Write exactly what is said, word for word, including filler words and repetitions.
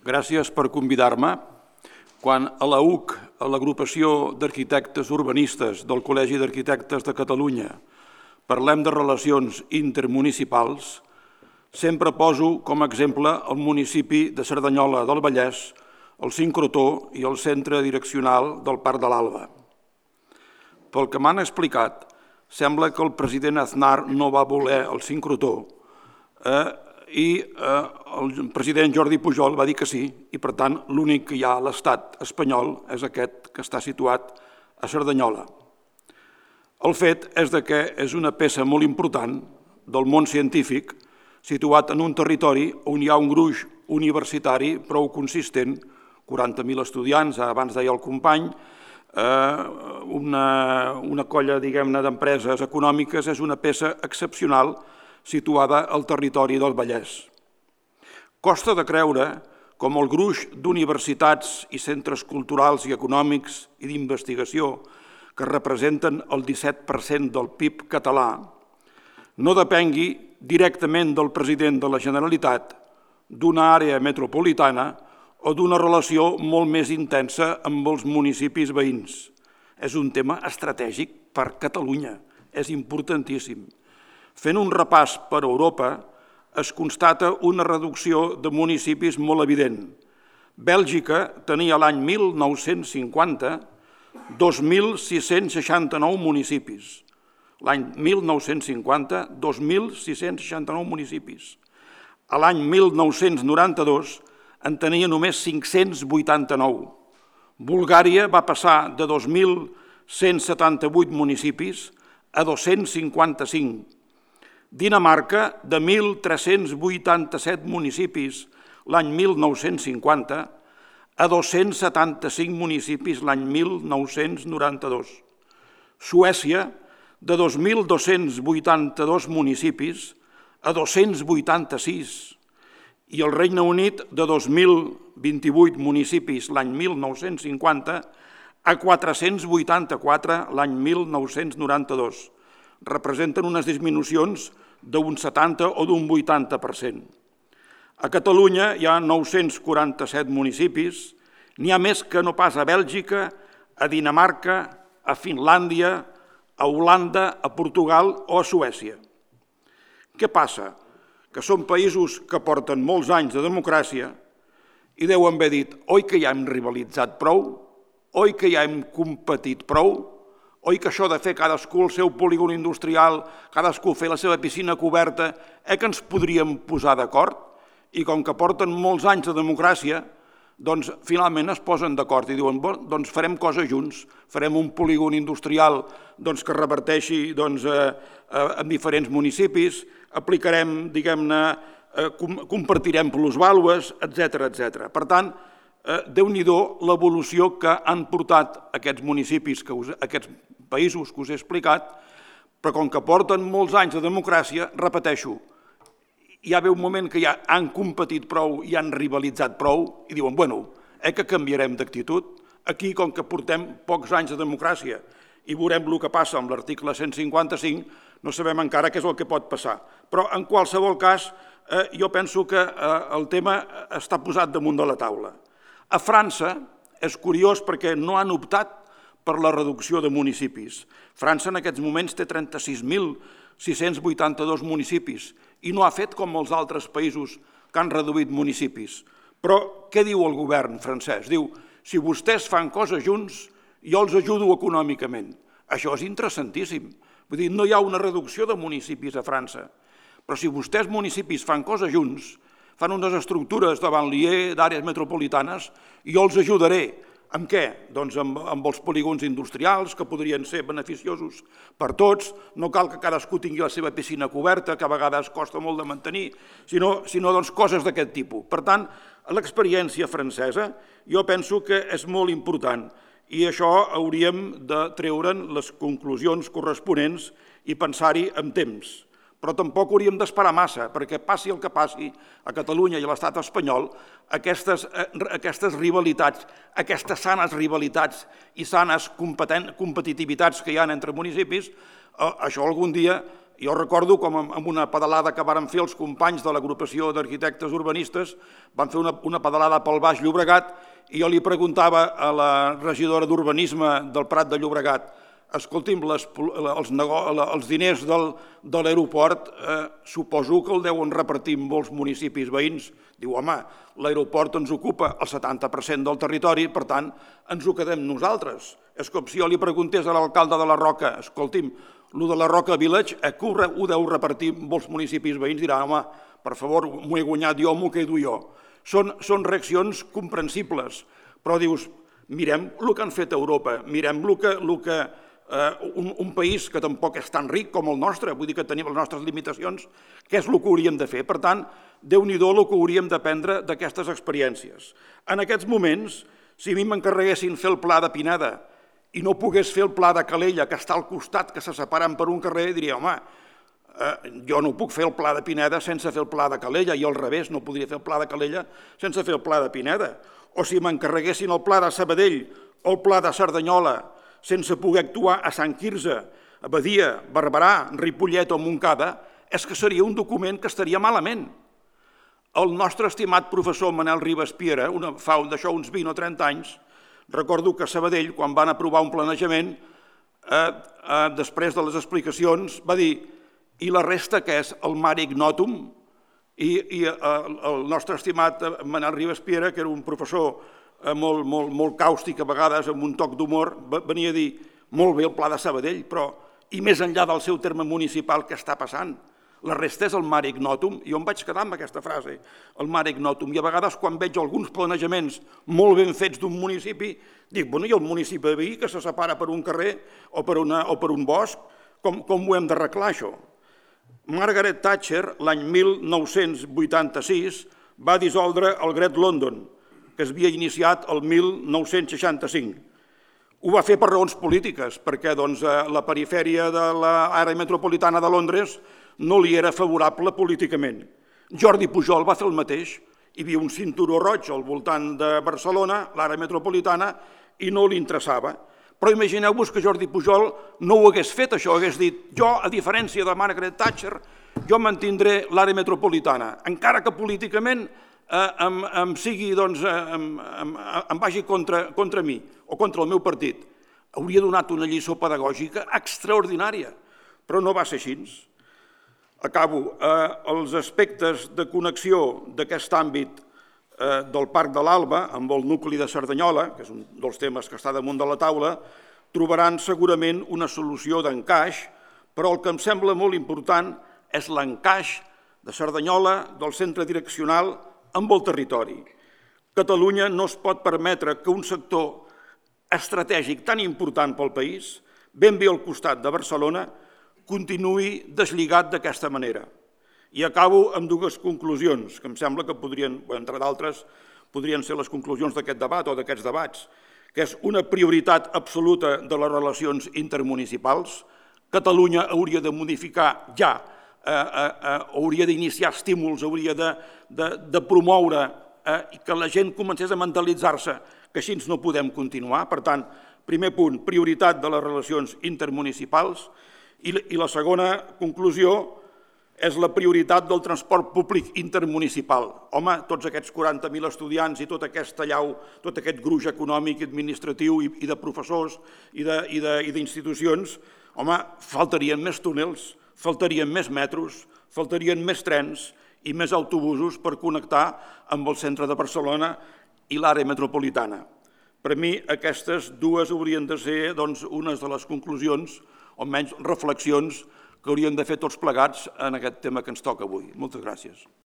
Gràcies per convidar-me. Quan a la U C, a l'Agrupació d'Arquitectes Urbanistes del Col·legi d'Arquitectes de Catalunya, parlem de relacions intermunicipals, sempre poso com a exemple el municipi de Cerdanyola del Vallès, el sincrotó i el centre direccional del Parc de l'Alba. Pel que m'han explicat, sembla que el president Aznar no va voler el sincrotó eh, i eh, el president Jordi Pujol va dir que sí, i per tant l'únic que hi ha a l'estat espanyol és aquest que està situat a Cerdanyola. El fet és que és una peça molt important del món científic situat en un territori on hi ha un gruix universitari prou consistent, quaranta mil estudiants, abans deia el company, una, una colla, diguem-ne, d'empreses econòmiques, és una peça excepcional situada al territori del Vallès. Costa de creure com el gruix d'universitats i centres culturals i econòmics i d'investigació que representen el disset per cent del P I B català no depengui directament del president de la Generalitat, d'una àrea metropolitana o d'una relació molt més intensa amb els municipis veïns. És un tema estratègic per Catalunya, és importantíssim. Fent un repàs per Europa, es constata una reducció de municipis molt evident. Bèlgica tenia l'any mil nou-cents cinquanta dos mil sis-cents seixanta-nou municipis. L'any mil nou-cents cinquanta, dos mil sis-cents seixanta-nou municipis. A l'any mil nou-cents noranta-dos en tenia només cinc-cents vuitanta-nou. Bulgària va passar de dos mil cent setanta-vuit municipis a dos-cents cinquanta-cinc. Dinamarca, de mil tres-cents vuitanta-set municipis l'any mil nou-cents cinquanta a dos-cents setanta-cinc municipis l'any mil nou-cents noranta-dos. Suècia, de dos mil dos-cents vuitanta-dos municipis a dos-cents vuitanta-sis. I el Regne Unit, de dos mil vint-i-vuit municipis l'any mil nou-cents cinquanta a quatre-cents vuitanta-quatre l'any mil nou-cents noranta-dos. Representen unes disminucions d'un setanta o d'un vuitanta per cent. A Catalunya hi ha nou-cents quaranta-set municipis, n'hi ha més que no pas a Bèlgica, a Dinamarca, a Finlàndia, a Holanda, a Portugal o a Suècia. Què passa? Que són països que porten molts anys de democràcia i deuen haver dit oi que ja hem rivalitzat prou, oi que ja hem competit prou, oi que això de fer cadascú el seu polígon industrial, cadascú fer la seva piscina coberta, eh que ens podríem posar d'acord? I com que porten molts anys de democràcia, doncs finalment es posen d'acord i diuen doncs farem coses junts, farem un polígon industrial doncs, que reverteixi doncs, eh, eh, en diferents municipis, aplicarem, diguem-ne, eh, com, compartirem plusvàlues, etcètera, etcètera. Per tant, eh, déu-n'hi-do l'evolució que han portat aquests municipis, que us, aquests països que us he explicat, però com que porten molts anys de democràcia, repeteixo, hi ha un moment que ja han competit prou i han rivalitzat prou i diuen, bueno, eh que canviarem d'actitud? Aquí, com que portem pocs anys de democràcia i veurem el que passa amb l'article cent cinquanta-cinc, no sabem encara què és el que pot passar. Però, en qualsevol cas, eh, jo penso que eh, el tema està posat damunt de la taula. A França és curiós perquè no han optat per la reducció de municipis. França en aquests moments té trenta-sis mil sis-cents vuitanta-dos municipis i no ha fet com els altres països que han reduït municipis. Però què diu el govern francès? Diu, si vostès fan coses junts, jo els ajudo econòmicament. Això és interessantíssim. Vull dir, no hi ha una reducció de municipis a França. Però si vostès municipis fan coses junts, fan unes estructures de banlieue, d'àrees metropolitanes, jo els ajudaré. Amb què? Doncs amb, amb els polígons industrials, que podrien ser beneficiosos per tots. No cal que cadascú tingui la seva piscina coberta, que a vegades costa molt de mantenir, sinó, sinó doncs, coses d'aquest tipus. Per tant, l'experiència francesa jo penso que és molt important i això hauríem de treure'n les conclusions corresponents i pensar-hi amb temps. Però tampoc hauríem d'esperar massa, perquè passi el que passi a Catalunya i a l'estat espanyol, aquestes, aquestes rivalitats, aquestes sanes rivalitats i sanes competitivitats que hi ha entre municipis, això algun dia Jo recordo com amb una pedalada que varen fer els companys de l'agrupació d'arquitectes urbanistes, van fer una, una pedalada pel Baix Llobregat i jo li preguntava a la regidora d'Urbanisme del Prat de Llobregat: escolti'm, les, els, els diners del, de l'aeroport eh, suposo que el deuen repartir en molts municipis veïns. Diu, home, l'aeroport ens ocupa el setanta per cent del territori, per tant, ens ho quedem nosaltres. És com si jo li preguntés a l'alcalde de la Roca: escolti'm, el de la Roca Village eh, ho deu repartir en molts municipis veïns? Dirà, home, per favor, m'ho he guanyat jo, m'ho quedo jo. Són, són reaccions comprensibles, però dius, mirem el que han fet a Europa, mirem el que, el que eh, un, un país que tampoc és tan ric com el nostre, vull dir que tenim les nostres limitacions, què és el que hauríem de fer? Per tant, Déu-n'hi-do el que hauríem d'aprendre d'aquestes experiències. En aquests moments, si a mi m'encarreguessin fer el pla de Pineda i no pogués fer el pla de Calella, que està al costat, que se separen per un carrer, diria, home, eh, jo no puc fer el pla de Pineda sense fer el pla de Calella, i al revés, no podria fer el pla de Calella sense fer el pla de Pineda. O si m'encarreguessin el pla de Sabadell o el pla de Cerdanyola sense poder actuar a Sant Quirze, a Badia, Barberà, Ripollet o Montcada, és que seria un document que estaria malament. El nostre estimat professor Manel Ribas Piera, una, fa d'això uns vint o trenta anys, recordo que a Sabadell, quan van aprovar un planejament, eh, eh, després de les explicacions, va dir: i la resta què és? El mare ignotum? I, i eh, el nostre estimat Manel Ribas Piera, que era un professor eh, molt, molt, molt càustic, a vegades amb un toc d'humor, venia a dir: molt bé el pla de Sabadell, però i més enllà del seu terme municipal, què està passant? La resta és el mare ignotum. I jo em vaig quedar amb aquesta frase, el mare ignotum. I a vegades, quan veig alguns planejaments molt ben fets d'un municipi, dic, bueno, i el municipi veí que se separa per un carrer o per, una, o per un bosc, com, com ho hem d'arreglar, això? Margaret Thatcher, l'any mil nou-cents vuitanta-sis, va dissoldre el Great London, que es havia iniciat el mil nou-cents seixanta-cinc. Ho va fer per raons polítiques, perquè doncs, la perifèria de l'àrea metropolitana de Londres no li era favorable políticament. Jordi Pujol va fer el mateix. Hi havia un cinturó roig al voltant de Barcelona, l'àrea metropolitana, i no li interessava. Però imagineu-vos que Jordi Pujol no ho hagués fet, això, hagués dit: jo, a diferència de Margaret Thatcher, jo mantindré l'àrea metropolitana, encara que políticament eh, em, em, sigui, doncs, em, em, em vagi contra, contra mi o contra el meu partit. Hauria donat una lliçó pedagògica extraordinària, però no va ser així. Acabo. Eh, els aspectes de connexió d'aquest àmbit eh, del Parc de l'Alba amb el nucli de Cerdanyola, que és un dels temes que està damunt de la taula, trobaran segurament una solució d'encaix, però el que em sembla molt important és l'encaix de Cerdanyola, del centre direccional, amb el territori. Catalunya no es pot permetre que un sector estratègic tan important pel país, ben bé al costat de Barcelona, continuï deslligat d'aquesta manera. I acabo amb dues conclusions, que em sembla que podrien, entre d'altres, podrien ser les conclusions d'aquest debat o d'aquests debats, que és una prioritat absoluta de les relacions intermunicipals. Catalunya hauria de modificar ja, eh, eh, hauria d'iniciar estímuls, hauria de, de, de promoure eh, que la gent comencés a mentalitzar-se que així no podem continuar. Per tant, primer punt, prioritat de les relacions intermunicipals. I la segona conclusió és la prioritat del transport públic intermunicipal. Home, tots aquests quaranta mil estudiants i tot aquest tallau, tot aquest gruix econòmic i administratiu i de professors i d'institucions, home, faltarien més túnels, faltarien més metros, faltarien més trens i més autobusos per connectar amb el centre de Barcelona i l'àrea metropolitana. Per mi, aquestes dues haurien de ser unes de les conclusions o menys reflexions que hauríem de fer tots plegats en aquest tema que ens toca avui. Moltes gràcies.